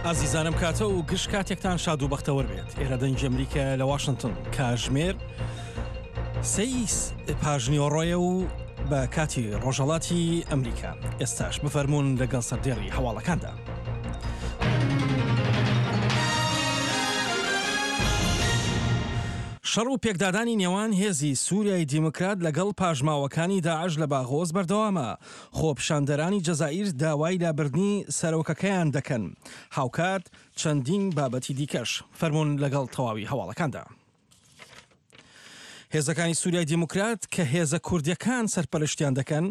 ئازیزانم کاتە و گشت کاتێکتان شاد و بەختەوەر بێت ئێرە دەنگی ئەمریکا لە واشنگتن کاژمێر سەی پاژنیۆڕۆیە و بە کاتی ڕۆژهڵاتی ئەمریکا ئێستاش بفەرمونون لەگەڵ سەردێڕی هەواڵەکاندا. شەڕ و پێکدادانی نێوان هێزی سووریای دیموکرات لەگەڵ پاشماوەکانی داعش لە باغۆز بەردەوامە، خۆپیشاندەرانی جەزائیر داوای لابردنی سەرۆکەکەیان دەکەن، هاوکات چەندین بابەتی دیکەش. فەرموون لەگەڵ تەواوی هەواڵەکاندا. هێزەکانی سووریای دیموکرات کە هێزە کوردیەکان سەرپەرشتیان دەکەن،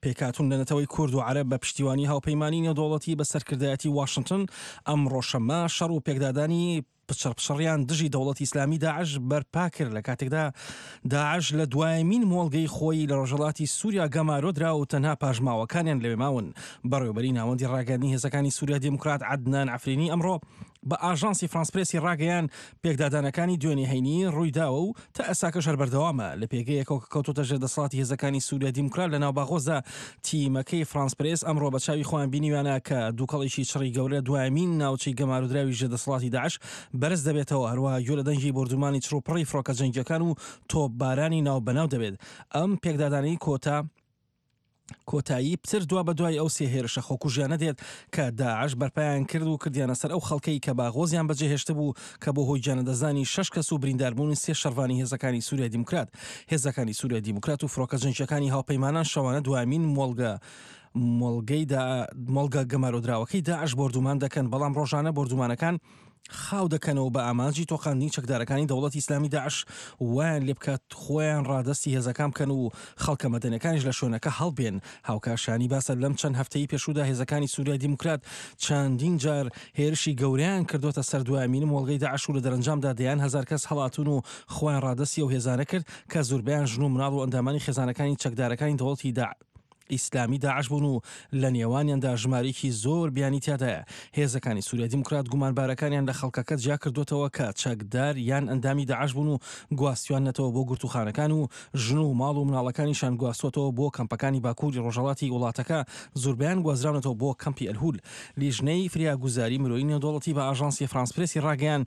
پێکهاتوون لە نەتەوەی کورد و عەرەب بە پشتیوانی هاوپەیمانی نێودەوڵەتی بە سەرکردایەتی واشنتن، ئەمڕۆ شەممە شەڕ و پێکدادانی پچڕپچڕیان دژی دەوڵەتی ئیسلامی داعش بەرپا کرد لە کاتێکدا داعش لە دوایەمین مۆڵگەی خۆی لە ڕۆژهەڵاتی سووریا گەمارۆ درا و تەنها پاشماوەکانیان لەوێ ماون. بەڕێوەبەری ناوەندی ڕاگەیاندنی هێزەکانی سووریا دیموکرات عەدنان عەفرینی ئەمڕۆ بە ئاژانسی فرانس پرێسی ڕاگەیاند پێکدادانەکانی دوێنێ هەینی ڕوویداوە و تا ئێستاکەش هەر بەردەوامە لە پێگەیەکەوە کە کەوتۆتە ژێر دەسەڵاتی هێزەکانی سووریا دیموکرات لە ناو باغۆزدا تیمەکەی فرانس پرێس ئەمڕۆ بە چاوی خۆیان بینیویانە کە دووکەڵێکی چڕی گەورە لە دوایەمین ناوچەی گەمارۆدراوی ژێر دەسەڵاتی داعش بەرز دەبێتەوە، هەروەها گوێ لە دەنگی بۆردومانی چڕوپڕی فڕۆکە جەنگییەکان و تۆپبارانی ناوبەناو دەبێت. ئەم پێکدادانەی کۆتا کۆتایی پتر دوابەدوای ئەو سێ هێرشە خۆکوژیانە دێت کە داعش بەرپایان کرد و کردیانە سەر ئەو خەڵکەی کە باغۆزیان بەجێهێشتبوو کە بۆ هۆی گیانلەدەستدانی شەش کەس و برینداربوونی سێ شەڕڤانی هێزەکانی سوریای دیموکرات هێزەکانی سوریای دیموکرات و فڕۆکە جەنگییەکانی هاوپەیمانان شەوانە دوایەمین مۆڵگە مۆڵگەی دا مۆڵگە گەمارۆدراوەکەی داعش بۆردومان دەکەن بەڵام ڕۆژانە بۆردومانەکان خاو دەکەنەوە بە ئامانجی تۆقاندنی چەکدارەکانی دەوڵەتی ئیسلامی داعش وایان لێبکات خۆیان ڕادەستی هێزەکان بکەن و خەڵکە مەدەنیەکانیش لە شوێنەکە هەڵبێن. هاوکات شایانی باسە لەم چەند هەفتەی پێشوودا هێزەکانی سوریای دیموکرات چەندین جار هێرشی گەورەیان کردۆتە سەر دوایەمین مۆڵگەی داعش و لە دەرەنجامدا دەیان هەزار کەس هەڵاتوون و خۆیان ڕادەستی ئەو هێزانە کرد کە زوربەیان ژن و مناڵ و ئەندامانی خێزانەکانی چەکدارەکانی دەوڵەتی ئیسلامی داعش بوون و لە نێوانیاندا ژمارەیەکی زۆر بیانی تیادایە. هێزەکانی سوریای دیموکرات گومانبارەکانیان لە خەڵکەکە جیاکردۆتەوە کە چەکدار یان ئەندامی داعش بوون و گواستویاننەتەوە بۆ گرتووخانەکان و ژن و ماڵ و مناڵەکانیشان گواستووەتەوە بۆ کەمپەکانی باکووری ڕۆژهەڵاتی وڵاتەکە، زوربەیان گوازراونەتەوە بۆ کەمپی ئەلهول. لیژنەی فریاگوزاری مرۆیی نێودەوڵەتی بە ئاژانسی فرانس پرێسی ڕاگەیاند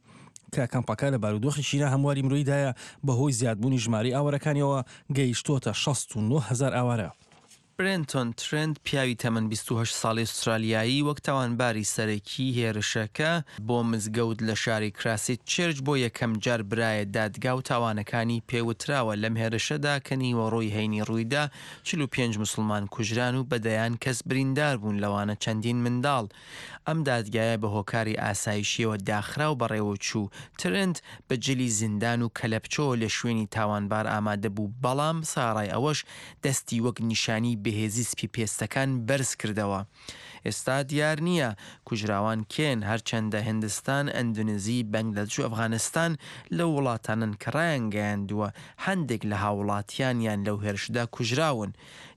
کە کەمپەکە لە بارودۆخێکی ناهەمواری مرۆییدایە بەهۆی زیادبوونی ژمارەی ئاوارەکانیەوە گەیشتووەتە 69 هەزار ئاوارە. برێنتۆن ترێنت، پیاوی تەمەن 28 ساڵی ئوسترالیایی وەک تاوانباری سەرەکی هێرشەکە بۆ مزگەوت لە شاری کراسیت چێرچ بۆ یەکەمجار برایە دادگا و تاوانەکانی پێوتراوە لەم هێرشەدا کە نیوەڕۆی هەینی ڕوویدا 45 موسڵمان کوژران و بە دەیان کەس بریندار بوون لەوانە چەندین منداڵ ئەم دادگایە بە هۆکاری ئاسایشییەوە داخرا و بەڕێوەچوو. ترنت بە جلی زیندان و کەلەپچەوە لە شوێنی تاوانبار ئامادە بوو، بەڵام سەڕای ئەوەش دەستی وەک نیشانی بەهێزی سپیپێستەکان بەرز کردەوە. ئێستا دیار نییە کوژراوان کێن، هەرچەندە هندستان، ئەندونزی، بەنگلادش و ئەفغانستان لەو وڵاتانەن کە ڕایانگەیاندووە هەندێک لە هاووڵاتیانیان لەو هێرشەدا کوژراون.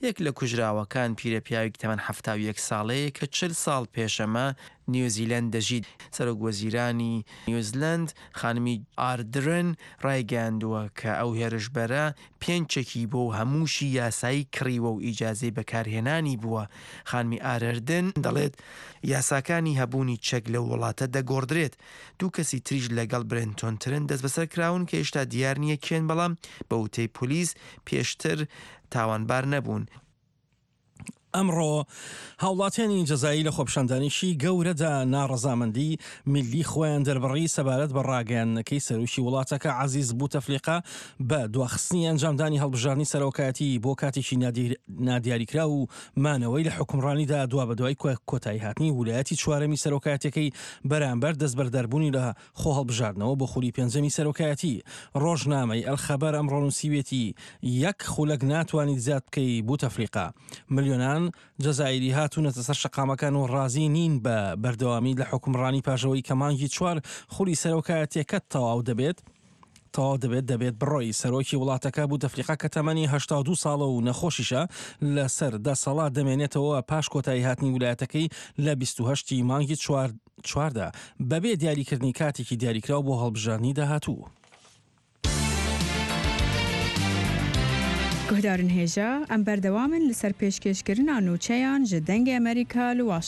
یەک لە کوژراوەکان پیرەپیاوێکی تەمەن 71 ساڵەیە کە 40 ساڵ پێش ئەمە نیوزیلەند دەژیت. سەرۆک وەزیرانی نیوزلەند خانمی ئاردرن ڕایگەیاندووە کە ئەو هێرشبەرە پێنج چەکی بووە و هەمووشی یاسایی کڕیوە و ئیجازەی بەکارهێنانی بووە. خانمی ئارردن دەڵێت یاساکانی هەبوونی چەک لەو وڵاتە دەگۆڕدرێت. دوو کەسی تریش لەگەڵ برێنتۆن ترن دەستبەسەر کراون کە هێشتا دیار نییە کێن بەڵام بە وتەی پۆلیس پێشتر تاوانبار نەبوون. ئەمڕۆ هاوڵاتیانی جەزایی لە خۆپیشاندانێکی گەورەدا ناڕەزامەندی میللی خۆیان دەربڕی سەبارەت بە ڕاگەیاندنەکەی سەرۆکی وڵاتەکە عەزیز بوتەفلیقە بە دواخستنی ئەنجامدانی هەڵبژاردنی سەرۆکایەتی بۆ کاتێکی نادیاریکراو و مانەوەی لە حوکمڕانیدا دوابەدوای کۆتاییهاتنی ولایەتی چوارەمی سەرۆکایەتیەکەی بەرامبەر دەستبەرداربوونی لە خۆهەڵبژاردنەوە بۆ خولی پێنجەمی سەرۆکایەتی. ڕۆژنامەی، الخبر، ئەمڕۆ نووسیویەتی، یەک خولەک ناتوانیت زیاد بکەی بوتەفلیقە. ملیۆنان جەزائیری هاتوونەتە سەر شەقامەکان و ڕازی نین بە بەردەوامیت لە حوکمڕانی پاش ئەوەی کە مانگی چوار خولی سەرۆکایەتیەکەت تەواو دەبێت. تەواو دەبێت دەبێت بڕۆی. سەرۆکی وڵاتەکە بوتەفلیقە کە تەمەنی 82 ساڵە و نەخۆشیشە لەسەر دەسەڵات دەمێنێتەوە پاش کۆتایی هاتنی ولایەتەکەی لە 28 ی مانگی چوار چواردا بەبێ دیاریکردنی کاتێکی دیاریکراو بۆ هەڵبژاردنی داهاتوو. گوهدارن هێژا، ئەم بەردەوامن لەسەر پێشکێشکردنا نوچەیان ژ دەنگێ ئەمریکا لە واشنتن.